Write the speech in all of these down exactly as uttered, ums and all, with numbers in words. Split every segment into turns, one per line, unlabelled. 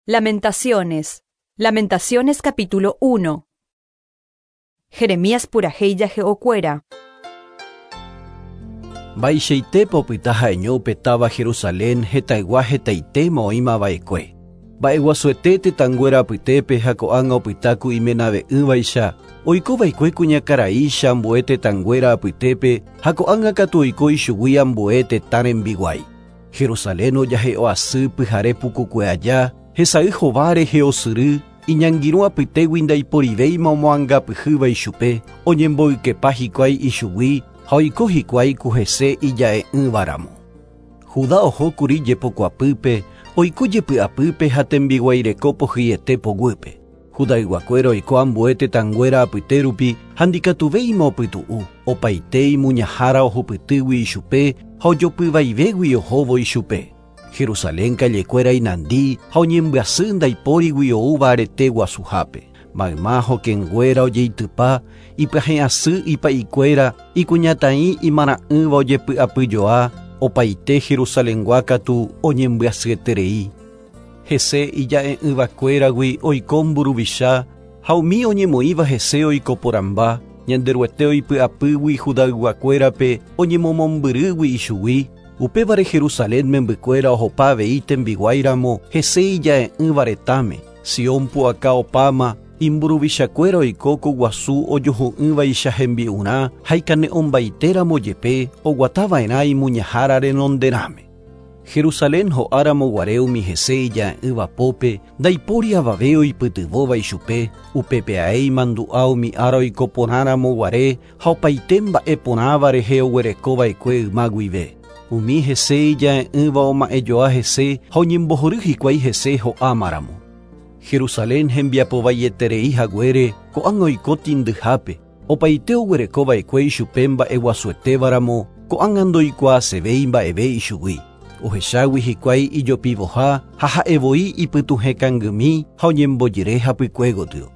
Lamentaciones. Lamentaciones capítulo uno. Jeremías purahéi jahe'okuéra.
Mba'eichaite opyta ha'eño upe táva Jerusalén hetaygua hetaitéma oĩmava'ekue. Mba'eguasuete tetãnguéra apytépe ha ko'ág̃a opyta ku imenave'ỹvaicha, oikova'ekue kuñakaraícha ambue tetãnguéra apytépe ha ko'ág̃a katu oiko ichugui ambue tetã rembiguái. Jerusalén ojahe'oasy pyhare pukukue aja, hesay hova rehe osyry, iñangirũ apytégui ndaiporivéima omoangapyhýva ichupe, oñemboykepa hikuái ichugui ha oiko hikuái ku hese ija'e'ỹvaramo. Judá ohókuri jepokuapýpe, oiko jepy'apýpe ha tembiguaireko pohyiete poguýpe. Judayguakuéra oiko ambue tetãnguéra apyte rupi ha ndikatuvéima opytu'u, opaite imuñahára ohupytýgui ichupe ha ojopyvaivégui ohóvo ichupe. Jerusalén kallekuéra inandi ha oñembyasy ndaipórigui oúva arete guasuhápe. Mayma hokẽnguéra ojeitypa, ipyahẽ'asy ipa'ikuéra, ikuñataĩ imara'ỹva ojepy'apyjoa, opaite Jerusalengua katu oñembyasyeterei. Hese ija'e'ỹvakuéragui oiko mburuvicha ha umi oñemoĩva hese oiko porãmba, Ñanderuete oipy'apýgui Judayguakuérape oñemomombyrýgui ichugui, upévare Jerusalén membykuéra ohopa avei tembiguáiramo hese ija'e'ỹva retãme. Sion pu'aka opáma, imburuvichakuéra oiko kuguasu ojuhu'ỹvaicha hembi'urã ha ikane'õmbaitéramo jepe oguatava'erã imuñahára renonderãme. Jerusalén ho'áramo guare umi hese ija'e'ỹva pópe, ndaipóri avave oipytyvõva ichupe, upépe ae imandu'a umi ára oiko porãramo guare ha opaite mba'e porãva rehe oguerekova'ekue yma guive. Umi hese ija'e'ỹva oma'ẽjoa hese ha oñembohory hikuái hese ho'ámaramo. Jerusalén hembiapovaieterei haguére ko'ág̃a oiko tĩndyhápe, opaite oguerekova'ekue ichupe mba'eguasuetévaramo ko'ág̃a ndoikuaasevéi mba'eve ichugui. Ohechágui hikuái ijopivoha ha ha'evoi ipytuhẽkangymi ha oñembojere hapykue gotyo.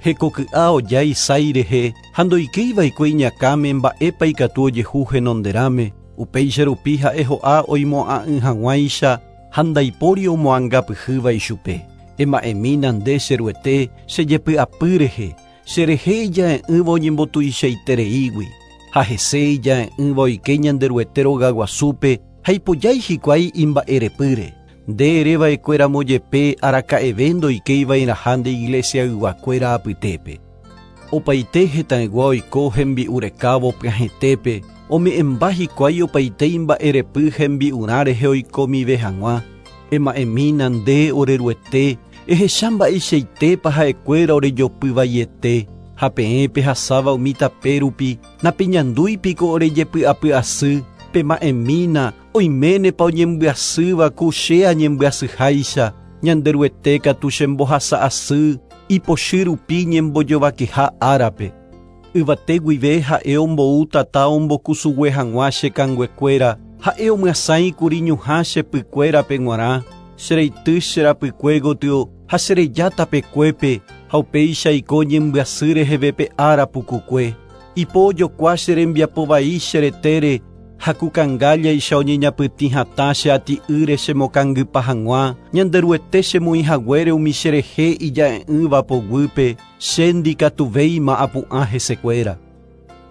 Hekoky'a oja isái rehe ha ndoikéiva'ekue iñakãme mba'épa ikatu ojehu henonderãme, upéicha rupi ha'e ho'a oimo'ã'ỹ hag̃uáicha ha ndaipóri omoangapyhýva ichupe. Ema'ẽmína nde cheruete chejepy'apy rehe, cherehe ija'e'ỹva oñembotuichaitereígui, ha hese ija'e'ỹva oike Ñanderuete rogaguasúpe ha ipojái hikuái imba'erepýre. Nde ereva'ekuéramo jepe araka'eve ndoikéiva'erãha nde iglesiayguakuéra apytépe. Opaite hetãygua oiko hembi'urekávo pyahẽtépe, ome'ẽmba hikuái opaite imba'erepy hembi'urã rehe oikomive hag̃ua. Ema'ẽmína nde oreruete, ehecha mba'eichaitépa ha'ekuéra orejopyvaiete, ha peẽ pehasáva umi tape rupi, napeñandúipiko orejepy'apy'asy, pema'ẽmína oiménepa oñembyasýva ku che añembyasyháicha, Ñanderuete katu chembohasa'asy, ipochy rupi ñembojovakeha árape. Yvate guive ha'e ombou tata ombokusugue hag̃ua che kanguekuéra, ha'e omyasãikuri ñuhã che pykuérape g̃uarã, chereity cherapykue gotyo ha chereja tapekuépe ha upéicha iko ñembyasy reheve pe ára pukukue. Ipo ojokua che rembiapovai che retére, ha kukangállaicha oñeñapytĩ hatã che ati'ýre chemokangypa hag̃ua, Ñanderuete chemoĩ haguére umi cherehe ija'e'ỹva poguýpe, che ndikatuvéima apu'ã hesekuéra.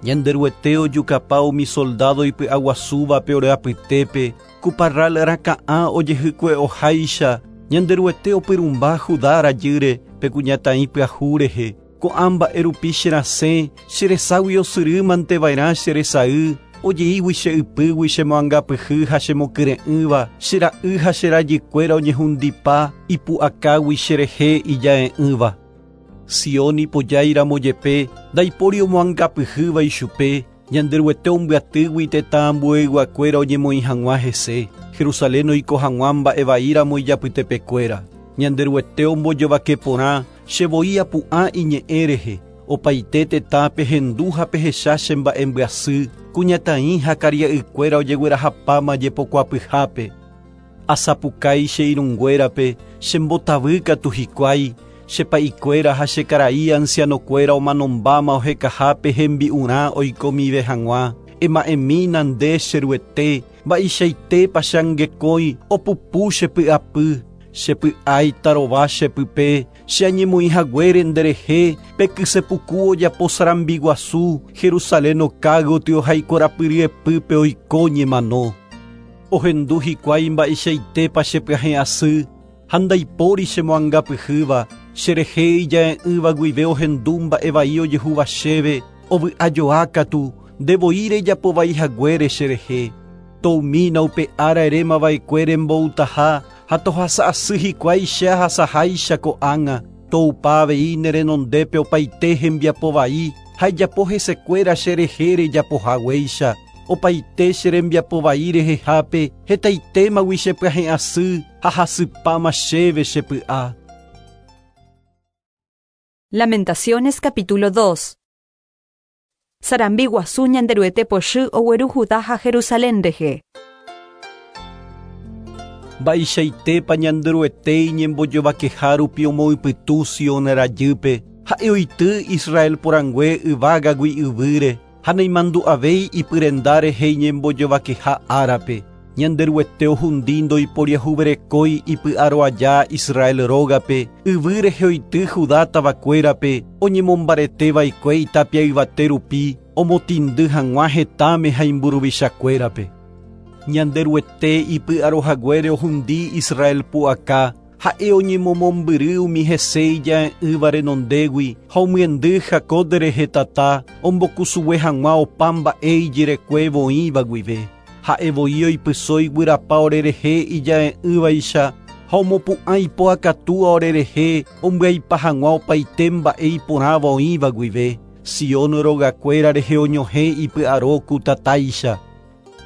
Ñanderuete ojukapa umi soldado ipy'aguasúvape ore apytépe, ku parral raka'ã ojehykue'oháicha, Ñanderuete opyrũmba Judá rajýre pe kuñataĩ pyahu rehe, ko'ã mba'e rupi cherasẽ, chereságui osyrýmanteva'erã cheresay, ojeígui che ypýgui chemoangapyhy ha chemokyre'ỹva, chera'y ha cherajykuéra oñehundipa ipu'akágui cherehe ija'e'ỹva. Sion ipojáiramo jepe, ndaipóri omoangapyhýva ichupe, Ñanderuete ombyatýgui tetã ambueyguakuéra oñemoĩ hag̃ua hese, Jerusalén oiko hag̃ua mba'evaíramo ijapytepekuéra. Ñanderuete ombojovake porã, chevoi apu'ã iñe'ẽ rehe, opaite tetã pehendu ha pehecha che mba'embyasy, kuñataĩ ha karia'ykuéra ojeguerahapáma jepokuapyhápe. Asapukái che irũnguérape, chembotavýkatu hikuái, chepa'ikuéra ha chekarai ancianokuéra omanombáma ohekahápe hembi'urã oikomive hag̃ua. Ema'ẽmína nde cheruete, mba'eichaitépa cheangekói opupu chepy'apy, Chepy'ái tarova chepype, che añemoĩ haguére nderehe, pe kysepuku ojapo sarambi guasu, Jerusalén okágotyo ha ikorapyryepýpe oiko ñemano. Ohendu hikuái mba'eichaitépa chepyahẽ asy, ha ndaipóri chemoangapyhýva, cherehe ija'e'ỹva guive ohendu mba'e vai ojehúva chéve, ovy'ajoa katu, ndevoi rejapovai haguére cherehe. Toumína upe ára erémava'ekue remboutaha, ha tohasa asy hikuái che ahasaháicha ko'ág̃a, toupa avei nerenondépe opaite hembiapovai, ha ijapo hesekuéra cherehe rejapohaguéicha, opaite che rembiapovai rehehápe, hetaitémagui chepyahẽ asy ha hasypáma chéve chepy'a.
Lamentaciones capítulo dos. Sarambi guasu Ñanderuete pochy ogueru Judá ha Jerusalén rehe.
Mba'eichaitépa Ñanderuete iñembojovakeha rupi omoypytũ Sion rajýpe, ha'e oity Israel porãngue yvágagui yvýre, ha naimandu'avéi ipyrenda rehe iñembojovakeha árape. Ñanderuete ohundi ndoiporiahuverekói ipy'aro aja Israel rógape, yvy rehe oity Judá tavakuérape, oñemombareteva'ekue itapia yvate rupi, omotĩndy hag̃ua hetãme ha imburuvichakuérape. Ñanderuete ipy'aro haguére ohundi Israel pu'aka, ha'e oñemomombyry umi hese ija'e'ỹva renondégui ha omyendy Jacob rehe tata, ombokusugue hag̃ua opa mba'e ijerekuévo oĩva guive. Ha'e voi oipysói guyrapa orerehe ija'e'ỹvaicha ha omopu'ã ipo'akatúa orerehe ombyaipa hag̃ua opaite mba'e iporãva oĩva guive. Sion rogakuéra rehe oñohẽ ipy'aro ku tatáicha.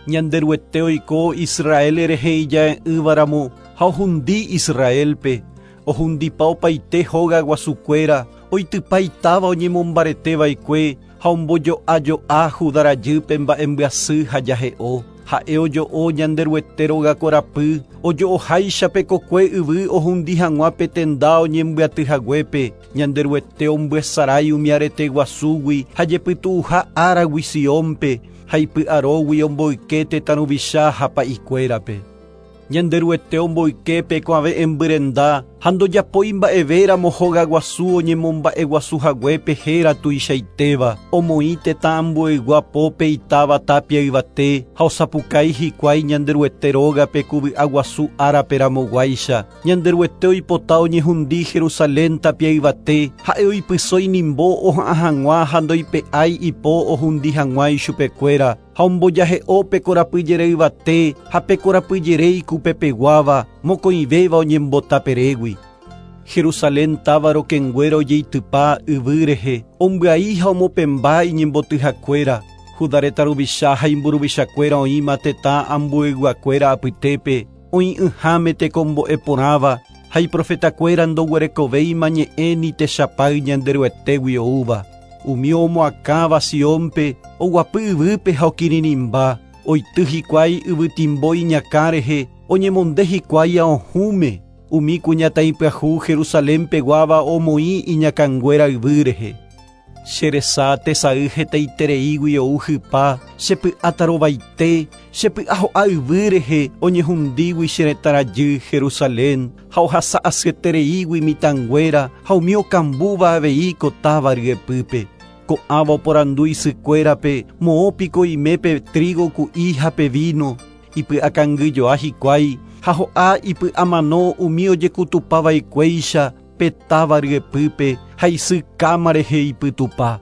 Ñanderuete oiko Israel rehe ija'e'ỹvaramo ha ohundi Israelpe, ohundipa opaite hóga guasukuéra, oitypa itáva oñemombareteva'ekue ha ombojo'ajo'a Judá rajýpe mba'embyasy ha jahe'o. Ha'e ojo'o Ñanderuete rogakorapy, ojo'oháicha pe kokue yvy ohundi hag̃ua pe tenda oñembyaty haguépe. Ñanderuete ombyesarái umi arete guasúgui ha jepytu'uha áragui Siónpe, ha ipy'arógui omboyke tetã ruvicha ha pa'ikuérape. Ñanderuete omboyke pe kuave'ẽmbyrenda ha ndojapói mba'evéramo hóga guasu oñemomba'eguasu haguépe héra tuichaitéva, omoĩ tetã ambueygua pópe itáva tapia yvate ha osapukái hikuái Ñanderuete rógape ku vy'a guasu árape ramoguáicha. Ñanderuete oipota oñehundi Jerusalén tapia yvate, ha'e oipysói inimbo oha'ã hag̃ua ha ndoipe'ái ipo ohundi hag̃ua ichupekuéra, ha ombojahe'o pe korapyjere yvate ha pe korapyjere ikupepeguáva, mokõivéva oñembotaperégui. Jerusalén táva rokẽnguéra ojeitypa yvy rehe, ombyai ha omopẽmba iñembotyhakuéra. Judá retã ruvicha ha imburuvichakuéra oĩma tetã ambueyguakuéra apytépe, oĩ'ỹháme tekombo'e porãva, ha iprofetakuéra ndoguerekovéima ñe'ẽ ni techapay Ñanderuetégui oúva. Umi omoakãva Siónpe, oguapy yvýpe ha okirirĩmba, oity hikuái yvytimbo iñakã rehe, oñemonde hikuái aohũme. Umi kuñataĩ pyahu Jerusalén peguáva omoĩ iñakãnguéra yvy rehe. Cheresa tesay hetaitereígui ou hypa, chepy'atarovaite, chepy'aho'a yvy rehe oñehundígui che retã rajy Jerusalén, ha ohasa asyetereígui mitãnguéra ha umi okambúva avei ko táva ryepýpe. Ko'ãva oporandu isykuérape, moõpiko imépe trigo ku'i ha pe vino, ipy'akangyjoa hikuái, ha ho'a ipy'amano umi ojekutupava'ekuéicha pe táva ryepýpe ha isy káma rehe ipytupa.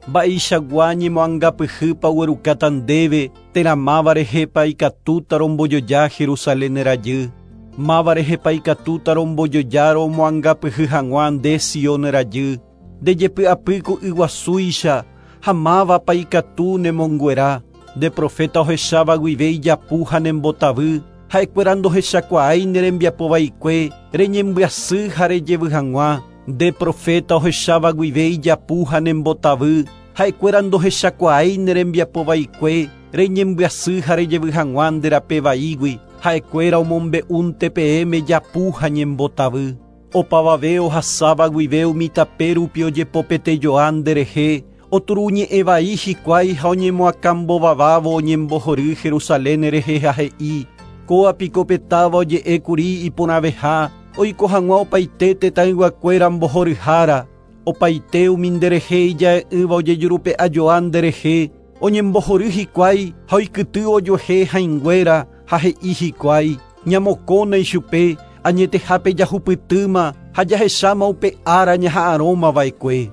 Mba'eichagua ñemoangapyhýpa oguerukáta ndéve, térã máva rehépa ikatúta rombojoja Jerusalén rajy. Máva rehépa ikatúta rombojoja romoangapyhy hag̃ua nde Sion rajy. Ndejepy'apy ku yguasúicha ha mávapa ikatu nemonguera. Nde profeta ohecháva guive ijapu ha nembotavy, ha'ekuéra ndohechakuaái nerembiapova'ekue, reñembyasy ha rejevy hag̃ua. Nde profeta ohecháva guive ijapu ha nembotavy, ha'ekuéra ndohechakuaái nerembiapova'ekue, reñembyasy ha rejevy hag̃ua nderapevaígui, ha'ekuéra omombe'únte peẽme japu ha ñembotavy. Opavave ohasáva guive umi tape rupi ojepopetejoa nderehe, oturuñe'ẽvai hikuái ha oñemoakãmbovavávo oñembohory Jerusalén rehe ha he'i, Kóa piko pe táva oje'ékuri iporãveha, oiko hag̃ua opaite tetãyguakuéra mbohoryhára, opaite umi nderehe ija'e'ỹva ojejurupe'ajoa nderehe, oñembohory hikuái ha oikyty ojuehe hãinguéra ha he'i hikuái, ñamokóna ichupe, añetehápe jahupytýma ha jahecháma upe ára ñaha'arõmava'ekue.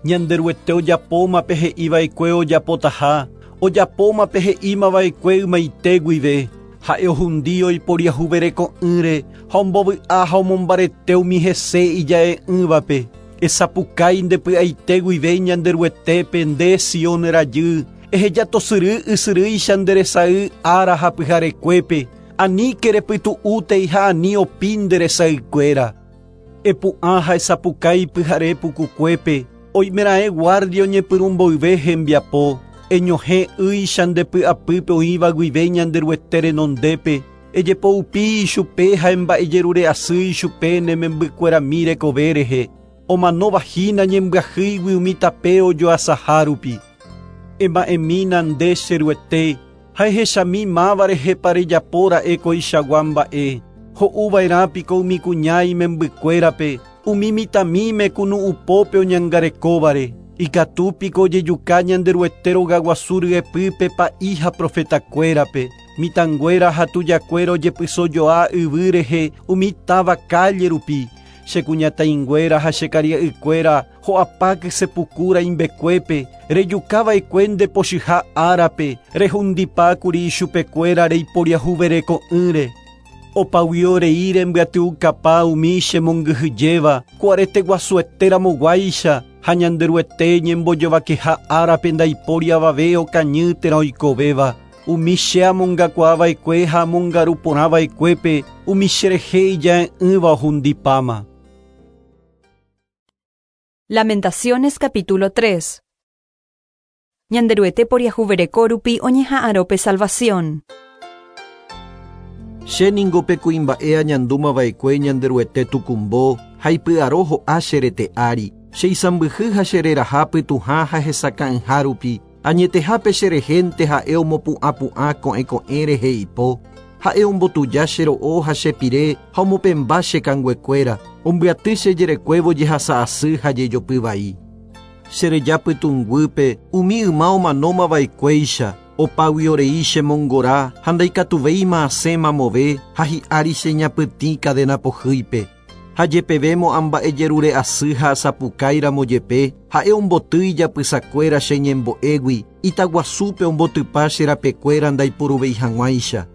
Ñanderuete ojapóma pe he'iva'ekue ojapotaha, ojapóma pe he'ímava'ekue ymaite guive, ha'e ohundi oiporiahuvereko'ỹre ha ombovy'a ha omombarete umi hese ija'e'ỹvape. Esapukái ndepy'aite guive Ñanderuetépe nde Sion rajy, ehejatosyry ysyrýicha nderesay ára ha pyharekuépe, aníke repytu'útei ha ani opi nderesaykuéra. Epu'ã ha esapukái pyhare pukukuépe, oimeraẽ guardia oñepyrũmboyve hembiapo, eñohẽ ýicha ndepy'apýpe oĩva guive Ñanderuete renondépe, ejepoupi ichupe ha emba'ejerure'asy ichupe ne membykuerami rekove rehe, omanovahína ñembyahýigui umi tape ojoasaha rupi. Ema'ẽmína nde che Ruete, ha ehechami máva rehepa rejapóra'e koichagua mba'e, ho'uva'erãpiko umi kuña imembykuérape, umi mitãmíme kunu'upópe oñangarekóvare, ikatúpiko ojejuka Ñanderuete rogaguasu ryepýpe pa'i ha profetakuérape, mitãnguéra ha tujakuéra ojepysojoa yvy rehe umi táva calle rupi, che kuñataĩnguéra ha che karia'ykuéra ho'apáky sepukúra imbekuépe, rejukava'ekue ndepochyha árape, rehundipákuri ichupekuéra reiporiahuvereko'ỹre. Opaguio rei rembyatyukapa umi chemongyhyjéva, ko arete guasueteramoguáicha ha Ñanderuete ñembojovakeha árape ndaipóri avave okañy térã oikovéva. Umi che amongakuaava'ekue ha amongaruporãva'ekuépe, umi cherehe ija'e'ỹva ohundipáma.
Lamentaciones capítulo tres. Ñanderuete poriahuvereko rupi oñeha'ãrõ salvación.
Che ningo pe kuimba'e añandúmava'ekue Ñanderuete tukumbo ha ipy'aro ho'a che rete ári, che isãmbyhy ha che reraha pytũha ha hesakã'ỹha rupi, añetehápe che rehénte ha'e omopu'ãpu'ã ko'ẽ ko'ẽ rehe ipo, ha'e ombotuja che ro'o ha che pire ha omopẽmba che kanguekuéra, ombyaty che jerekuévo jehasa asy ha jejopy vai. Che reja pytũnguýpe umi yma omanómava'ekuéicha, opágui orei chemongora ha ndaikatuvéima asẽ mamove ha hi'ári che ñapytĩ cadena pohýipe. Ha jepevémo amba'ejerure'asy ha asapukáiramo jepe, ha'e omboty ijapysakuéra che ñembo'égui, itaguasúpe ombotypa che rapekuéra ndaipuruvéi hag̃uáicha.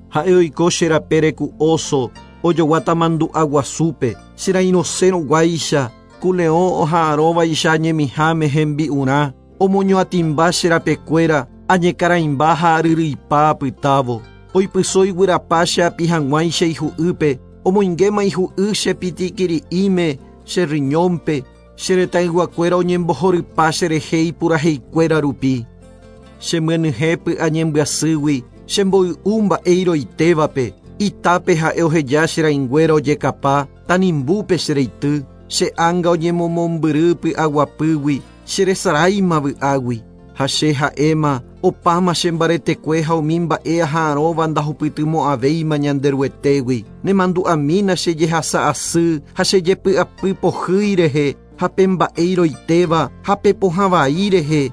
Ha'e oiko che rapére ku oso, ojoguáta mandu'a guasúpe, che rairõsérõguáicha, ku leõ oha'arõvaicha ñemiháme hembi'urã, omoñoatĩmba che rapekuéra, añekaraimba ha aryryipa apytávo, oipyso iguyrapa che api hag̃uáicha ihu'ýpe, omoingéma ihu'y che pitikiri'íme, che riñónpe, che retãyguakuéra oñembohorypa cherehe ipuraheikuéra rupi. Chemyenyhẽ py'a ñembyasýgui, chemboy'u mba'e iroitévape, itápe ha'e oheja che rãinguéra ojekapa, tanimbúpe che reity, che ánga oñemomombyry py'aguapýgui, che resaráima vy'águi, ha che ha'éma opáma che mbaretekue ha umi mba'e aha'arõva ndahupytymo'ãvéima Ñanderuetégui, nemandu'amína che jehasa asy ha che jepy'apy pohýi rehe, ha pe mba'e iroitéva ha pe pohã vai rehe.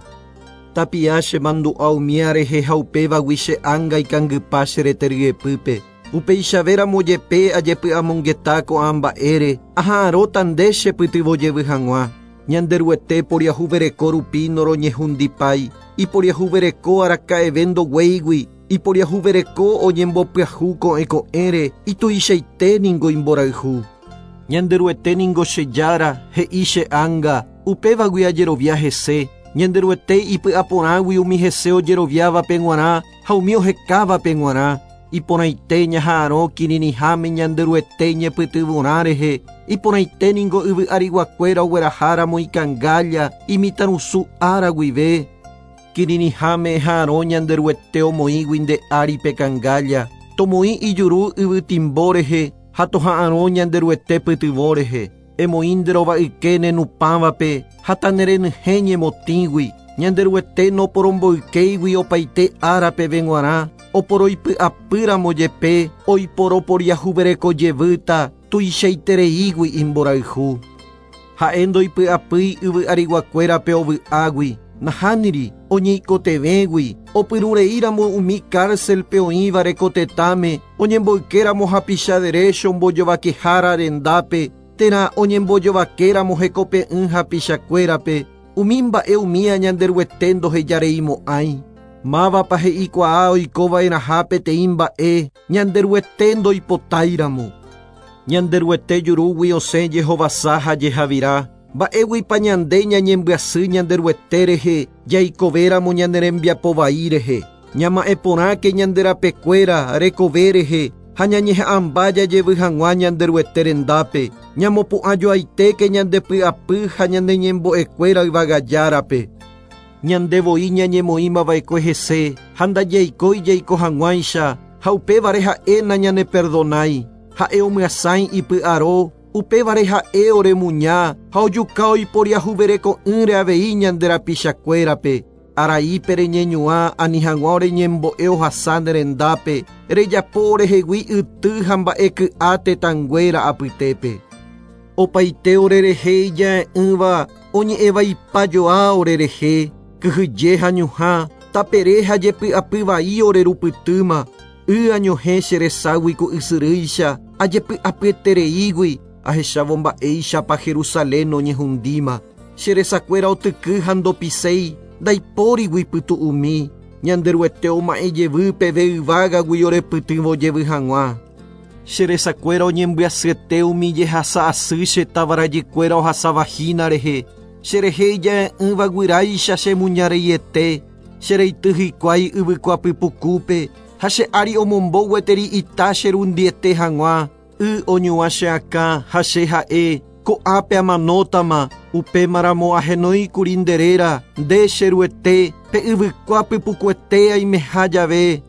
Tapia che mandu'a umía rehe ha upévagui che ánga ikangypa che rete ryepýpe. Upeichavéramo jepe ajepy'amongeta ko'ã mba'ére, aha'arõta nde chepytyvõ jevy hag̃ua. Ñanderuete poriahuvereko rupi noroñehundipái, iporiahuvereko araka'eve ndoguéigui, iporiahuvereko oñembopyahu ko'ẽ ko'ẽre, ituichaite ningo imborayhu. Ñanderuete ningo che Jára, he'i che ánga, upévagui ajerovia hese, Ñanderuete ipy'aporãgui umi hese ojeroviávape g̃uarã ha umi ohekávape g̃uarã, iporãite ñaha'arõ kirirĩháme Ñanderuete ñepytyvõrã rehe, iporãite ningo yvy ariguakuéra ogueraháramo ikangálla imitãrusu ára guive, kirirĩháme eha'arõ Ñanderuete omoĩgui nde ári pe kangálla, tomoĩ ijuru yvytimbo rehe ha toha'arõ Ñanderuete pytyvõ rehe, emoĩ nderova'yke nenupãvape ha tanerenyhẽ ñemotĩgui, Ñanderuete noporomboykéigui opaite árapeve g̃uarã,
Oporoipy'apýramo jepe oiporoporiahuvereko jevýta tuichaitereígui imborayhu. Ha'e ndoipy'apýi yvy ariguakuérape ovy'águi, nahániri oñeikotevẽgui, opyrũreíramo umi cárcelpe oĩva rekotetãme, oñemboykéramo hapicha derecho ombojovakehára rendápe, térã oñembojovakéramo hekope'ỹ hapichakuérape, umi mba'e umía Ñanderuete ndohejareimo'ãi. Mávapa he'ikuaa oikova'erãha peteĩ mba'e Ñanderuete ndoipotáiramo. Ñanderuete jurúgui osẽ jehovasa ha jehavira, mba'éguipa ñande ñañembyasy Ñanderuete rehe jaikovéramo ñane rembiapo vai rehe. Ñama'ẽporãke ñande rapekuéra rekove rehe ha ñañeha'ãmba jajevy hag̃ua Ñanderuete rendápe. Ñamopu'ãjoaitéke ñande py'apy ha ñane ñembo'ekuéra yvagajárape. Ñande voi ñañemoĩmava'ekue hese ha ndajaikói jaiko hag̃uáicha ha upévare ha'e nañaneperdonái. Ha'e omyasãi ipy'aro, upévare ha'e oremuña ha ojuka oiporiahuvereko'ỹre avei ñande rapichakuérape. Araípe reñeñuã ani hag̃ua oreñembo'e ohasa nde rendápe, rejapo orehegui yty ha mba'eky'a tetãnguéra apytépe. Opaite orerehe ija'e'ỹva oñe'ẽvaipajoa orerehe, kyhyje ha ñuhã, tapere ha jepy'apyvai orerupytýma, y añohẽ che reságui ku ysyrýicha, ajepy'apyetereígui, ahechávo mba'éichapa Jerusalén oñehundíma. Che resakuéra otyky ha ndopiséi, ndaipórigui pytu'umi, Ñanderuete oma'ẽ jevy peve yvágagui orepytyvõ jevy hag̃ua. Che resakuéra oñembyasyete umi jehasa asy che tavarajykuéra ohasavahína rehe, cherehe ija'e'ỹva guyráicha che muñareiete, chereity hikuái yvykuapypukúpe, ha che ári omombo gueteri ita cherundiete hag̃ua, y oñuã che akã ha che ha'e, ko'ápe amanótama, upémaramo ahenóikuri nde réra, nde cheruete, pe yvykuapypukuete aimeha jave.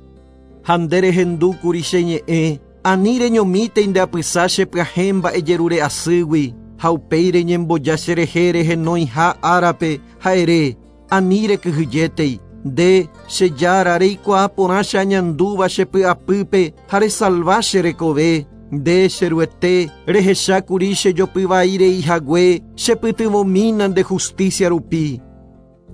Ha nde rehendúkuri che ñe'ẽ, ani reñomítei nde apysa che pyahẽ mba'ejerure asýgui, ha upéi reñemboja cherehe rehenóiha árape ha ere, ani rekyhyjétei, nde che jára reikuaa porã che añandúva che py'apýpe ha resalva che rekove. Nde cheruete rehechákuri che jopyvai reihague chepytyvõmína nde justicia rupi.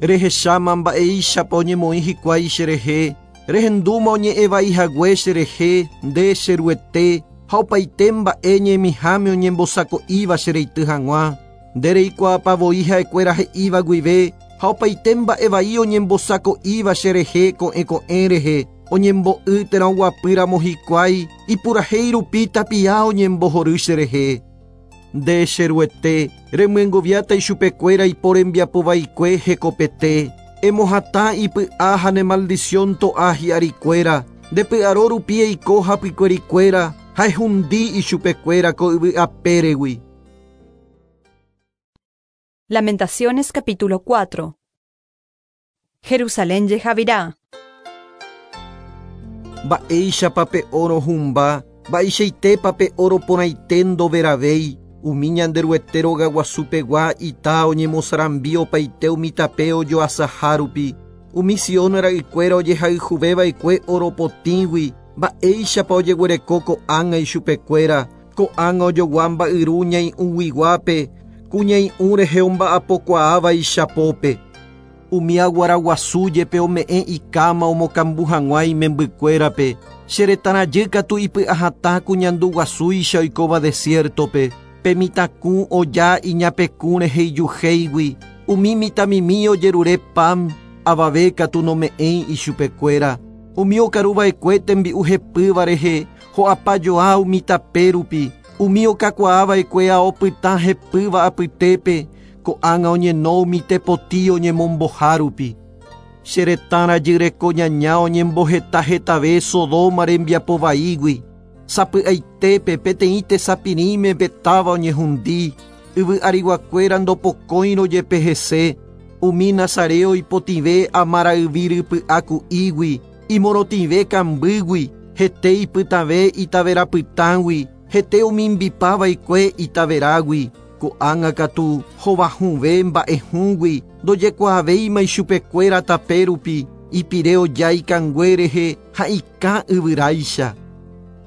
Rehecháma mba'éichapa oñemoĩ hikuái cherehe, rehendúma oñe'ẽvaihague cherehe, nde cheruete ha opaite mba'e ñemiháme oñembosako'íva chereity hag̃ua. Nde reikuaapavoi ha'ekuéra he'íva guive ha opaite mba'evai oñembosako'íva cherehe ko'ẽ ko'ẽ rehe, oñembo'y térã oguapýramo hikuái ipurahéi rupi tapia oñembohory cherehe. Nde cheruete remyengoviáta ichupekuéra iporembiapovaikue hekopete, emohatã ipy'a ha ne maldición to'a hi'arikuéra, nde py'aro rupi eiko hapykuerikuéra ha ehundi ichupekuéra ko yvy apéregui.
Lamentaciones capítulo cuatro. Jerusalén jehavirá.
Mba'éichapa pe oro humba, mba'eichaitépa pe oro porãite ndoveravéi, umi Ñanderuete rogaguasupegua ita oñemosarambi opaite umi tape ojoasaha rupi, umi Sion ra'ykuéra ojehayhuvéva'ekue oro potĩgui, mba'éichapa ojeguereko ko'ág̃a ichupekuéra, ko'ág̃a ojogua mba'yru ñai'ũguiguápe, ku ñai'ũ rehe omba'apokuaáva ichapópe. Umi aguaraguasu jepe ome'ẽ ikáma omokambu hag̃ua imembykuérape, che retãrajy katu ipy'ahatã ku ñanduguasúicha oikóva desiertope, pe mitãkũ oja iñapekũ rehe ijuhéigui, umi mitãmimi ojerure pan, avave katu nome'ẽi ichupekuéra. Umi okaruva'ekue tembi'u hepýva rehe, ho'apajoa umi tape rupi, umi okakuaava'ekue ao pytã hepýva apytépe, ko'ág̃a oñeno umi tepoti oñemomboha rupi. Che retãrajy reko ñaña oñemboheta hetave Sodoma rembiapovaígui. Sapy'aitépe peteĩ tesapirĩme petáva oñehundi, yvy ariguakuéra ndopokóirõ jepe hese, umi nazareo ipotĩve amarayvi rypy'aku'ígui, imorotĩve kambýgui, hete ipytãve itaverapytãgui, hete omimbipava'ekue itaverágui. Ko'ág̃a katu hovahũve mba'ehũgui, ndojekuaavéima ichupekuéra tape rupi, Ipire ojái kangue rehe ha ikã yvyráicha.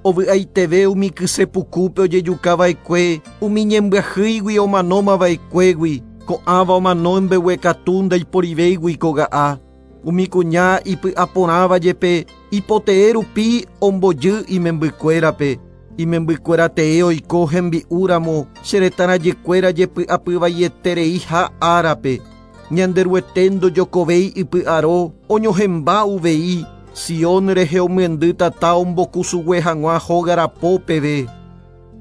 Ovy'aiteve umi kysepukúpe ojejukava'ekue, umi ñembyahýigui omanómava'ekuégui, ko'ãva omano mbeguekatu ndaiporivéigui koga'a. Umi kuña ipy'aporãva jepe ipotee rupi ombojy imembykuérape. Imembykuéra tee oiko hembi'úramo che retãrajykuéra jepy'apyvaietereiha árape. Ñanderuete ndojokovéi ipy'aro oñohemba uvei. Sion rehe omyendy tata ombokusugue hag̃ua hógarapo peve.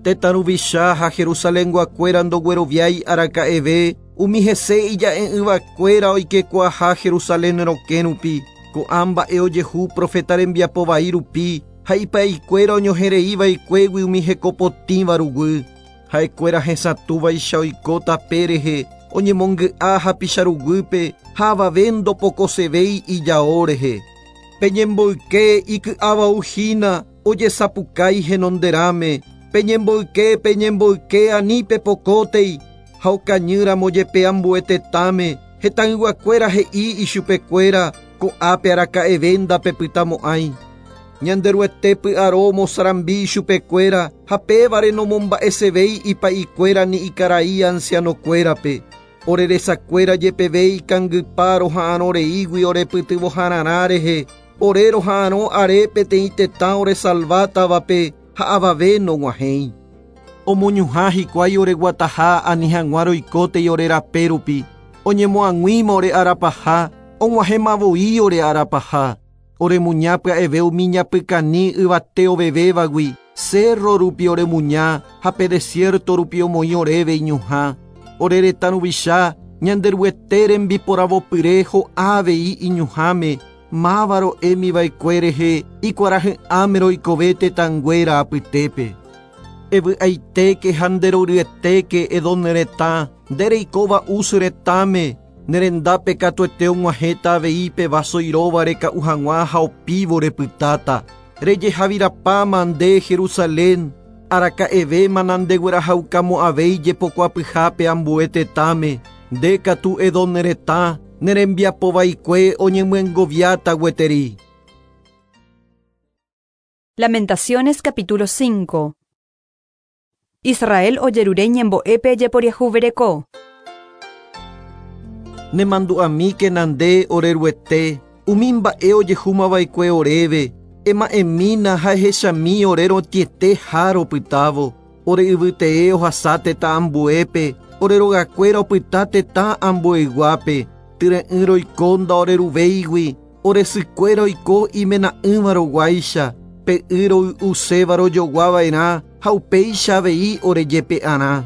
Tetã ruvicha ha Jerusalenguakuéra ndogueroviái araka'eve umi hese ija'e'ỹvakuéra oikekuaaha Jerusalén rokẽ rupi. Ko'ã mba'e ojehu profeta rembiapo vai rupi ha ipa'ikuéra oñohereiva'ekuégui umi hekopotĩva ruguy. Ha'ekuéra hesatũvaicha oiko tape rehe oñemongy'a hapicha ruguýpe ha avave ndopokosevéi ijao rehe. Peñemboyke iky'avauhína ojesapukái henonderãme. Peñemboyke, peñemboyke ani pepokótei ha okañýramo jepe ambue tetãme. Hetãyguakuéra he'i ichupekuéra ko'ápe araka'eve ndapepytamo'ãi. Ñanderuete py'aro omosarambi ichupekuéra ha pévare nomomba'esevéi ipa'ikuéra ni ikarai ancianokuérape. Oreresakuéra jepeve ikangypa roha'arõreígui orepytyvõhararã rehe. Ore roha'arõ are peteĩ tetã oresalvátavape ha avave nog̃uahẽi. Omoñuhã hikuái oreguataha ani hag̃ua roikótei ore rape rupi. Oñemoag̃uíma ore arapaha, og̃uahẽmavoi ore arapaha. Oremuña pya'eve umi ñapykani yvate ovevévagui, cerro rupi oremuña ha pe desierto rupi omoĩ oréve iñuhã. Ore retã ruvicha Ñanderuete rembiporavopyre ho'a avei iñuhãme, máva ro'émiva'ekue rehe ikuarahy'ãme roikove tetãnguéra apytépe. Evy'aitéke ha nderoryetéke Edom retã, nde reikóva Uz retãme, nerendápe katuete og̃uahẽta avei pe vaso iróva reka'u hag̃ua ha opívo repytáta. Rejehavirapáma nde Jerusalén, araka'evéma nandeguerahaukamo'ãvéi jepokuapyhápe ambue tetãme. Nde katu Edom retã, nerembiapovaikue oñemyengoviáta gueteri.
Lamentaciones capítulo cinco. Israel ojerure ñembo'épe jeporiahuvereko.
Nemandu'amíke nande oreruete, umi mba'e ojehúmava'ekue oréve, ema'ẽmína ha ehechami ore rotiete ha ropytávo. Ore yvytee ohasa tetã ambuépe, ore rogakuéra opyta tetã ambueyguápe. Tyre'ỹ roiko ndaoreruvéigui, ore sykuéra oiko imena'ỹva roguáicha, pe y roy'uséva rojoguava'erã ha upéicha avei orejepe'arã.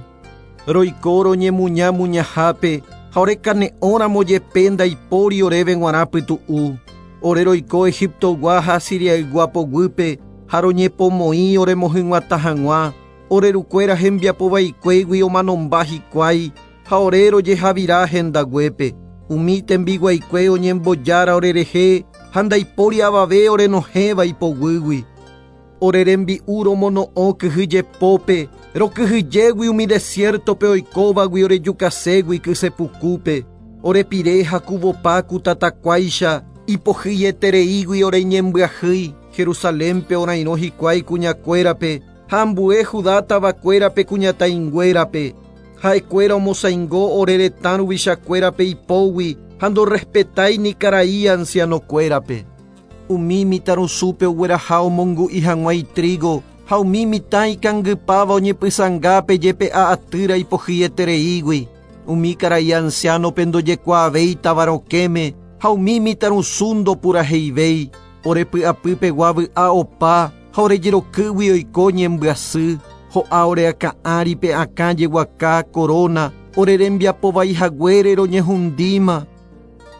Roiko roñemuña muñahápe ha orekane'õramo jepe ndaipóri oréve g̃uarã pytu'u. Ore roiko Egiptogua ha Siriaygua poguýpe ha roñepomoĩ oremohyg̃uatã hag̃ua. Ore rukuéra hembiapovaikuégui omanomba hikuái ha ore rojehavira hendaguépe. Umi tembiguaikue oñembojára orerehe ha ndaipóri avave orenohẽva ipoguýgui. Ore rembi'u romono'õ kyhyjepópe, rokyhyjégui umi desiertope oikóvagui orejukaségui kysepukúpe. Orepire hakuvopa ku tatakuáicha, ipohýietereígui oreñembyahýi. Jerusalénpe orairõ hikuái kuñakuérape, ha ambue Judá tavakuérape kuñataĩnguérape. Ha'ekuéra omosaingo ore retã ruvichakuérape ipógui ha ndorespetái ni karai ancianokuérape. Umi mitãrusúpe ogueraha omongu'i hag̃ua itrigo ha umi mitã ikangypáva oñepysãngápe jepe'a atýra ipohýietereígui. Umi karai ancianope ndojekuaavéi táva rokẽme ha umi mitãrusu ndopuraheivéi. Orepy'apypegua vy'a opa ha orejerokýgui oiko ñembyasy. Ho'a oreakã'ári pe akã jeguaka corona orerembiapovaihaguére roñehundíma.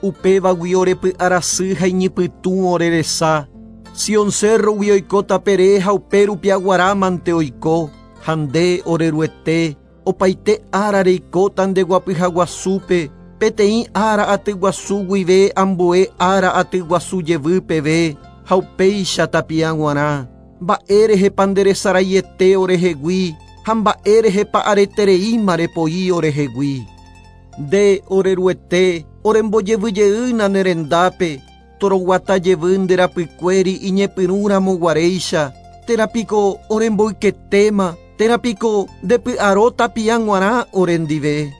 Upévagui orepy'arasy ha iñypytũ oreresa. Sion cerrogui oiko tapere ha upérupi aguarámante oiko. Ha nde oreruete, opaite ára reikóta ndeguapyhaguasúpe, peteĩ ára atyguasu guive ambue ára atyguasu jevy peve ha upéicha tapia g̃uarã. Mba'érehepa nderesaraiete orehegui ha mba'érehepa aretereíma repoi orehegui. Nde oreruete orembojevyjeýna nerendápe, Toroguata jevy nde rapykuéri iñepyrũramoguaréicha, térã piko oremboyketéma, térã piko ndepy'aro tapia g̃uarã orendive.